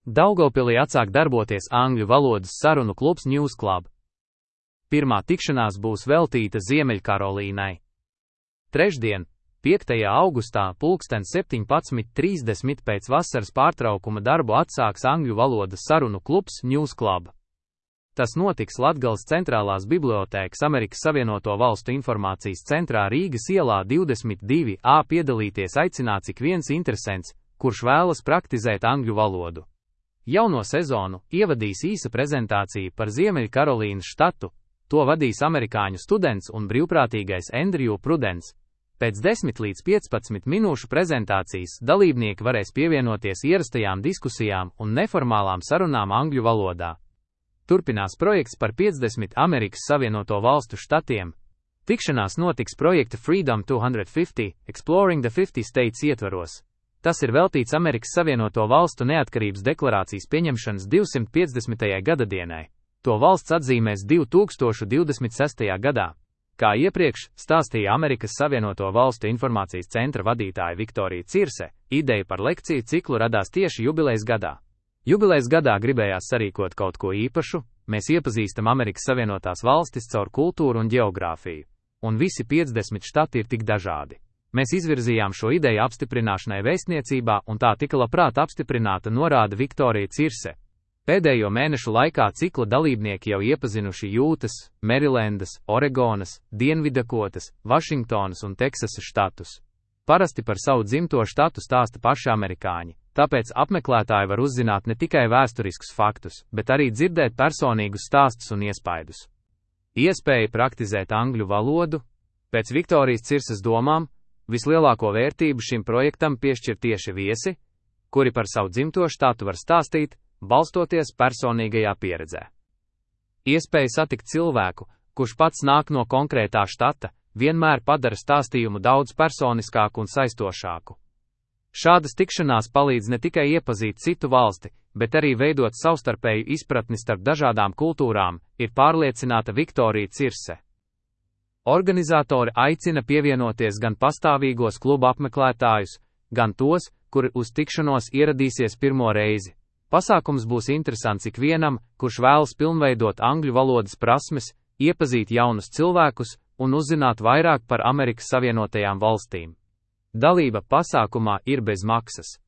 Daugavpilī atsāk darboties angļu valodas sarunu klubs News Club. Pirmā tikšanās būs veltīta Ziemeļkarolīnai. Trešdien, 5. augustā, pulksten 17:30 pēc vasaras pārtraukuma darbu atsāks angļu valodas sarunu klubs News Club. Tas notiks Latgales centrālās bibliotēkas Amerikas Savienoto Valstu informācijas centrā Rīgas ielā 22A. Piedalīties aicināts ik viens interesents, kurš vēlas praktizēt angļu valodu. Jauno sezonu ievadīs īsa prezentācija par Ziemeļkarolīnas štatu, to vadīs amerikāņu students un brīvprātīgais Andrew Prudence. Pēc 10 līdz 15 minūšu prezentācijas dalībnieki varēs pievienoties ierastajām diskusijām un neformālām sarunām angļu valodā. Turpinās projekts par 50 Amerikas Savienoto Valstu štatiem. Tikšanās notiks projekta Freedom 250 – Exploring the 50 States ietvaros. Tas ir veltīts Amerikas Savienoto Valstu neatkarības deklarācijas pieņemšanas 250. gadadienai. To valsts atzīmēs 2026. gadā. Kā iepriekš stāstīja Amerikas Savienoto Valstu informācijas centra vadītāja Viktorija Cirse, ideja par lekciju ciklu radās tieši jubilejas gadā. Jubilejas gadā gribējās sarīkot kaut ko īpašu, mēs iepazīstam Amerikas Savienotās Valstis caur kultūru un ģeogrāfiju, un visi 50 štati ir tik dažādi. Mēs izvirzījām šo ideju apstiprināšanai vēstniecībā, un tā tika labprāt apstiprināta, norāda Viktorija Cirse. Pēdējo mēnešu laikā cikla dalībnieki jau iepazinuši Jūtas, Merilendas, Oregonas, Dienvidakotas, Vašingtonas un Teksasas štatus. Parasti par savu dzimto štatu stāsta paši amerikāņi, tāpēc apmeklētāji var uzzināt ne tikai vēsturiskus faktus, bet arī dzirdēt personīgus stāstus un iespaidus. Iespēja praktizēt angļu valodu. Pēc Viktorijas Cirses domām, vislielāko vērtību šim projektam piešķir tieši viesi, kuri par savu dzimto štatu var stāstīt, balstoties personīgajā pieredzē. Iespēja satikt cilvēku, kurš pats nāk no konkrētā štata, vienmēr padara stāstījumu daudz personiskāku un saistošāku. Šādas tikšanās palīdz ne tikai iepazīt citu valsti, bet arī veidot savstarpēju izpratni starp dažādām kultūrām, ir pārliecināta Viktorija Cirse. Organizatori aicina pievienoties gan pastāvīgos kluba apmeklētājus, gan tos, kuri uz tikšanos ieradīsies pirmo reizi. Pasākums būs interesants ikvienam, kurš vēlas pilnveidot angļu valodas prasmes, iepazīt jaunus cilvēkus un uzzināt vairāk par Amerikas Savienotajām Valstīm. Dalība pasākumā ir bez maksas.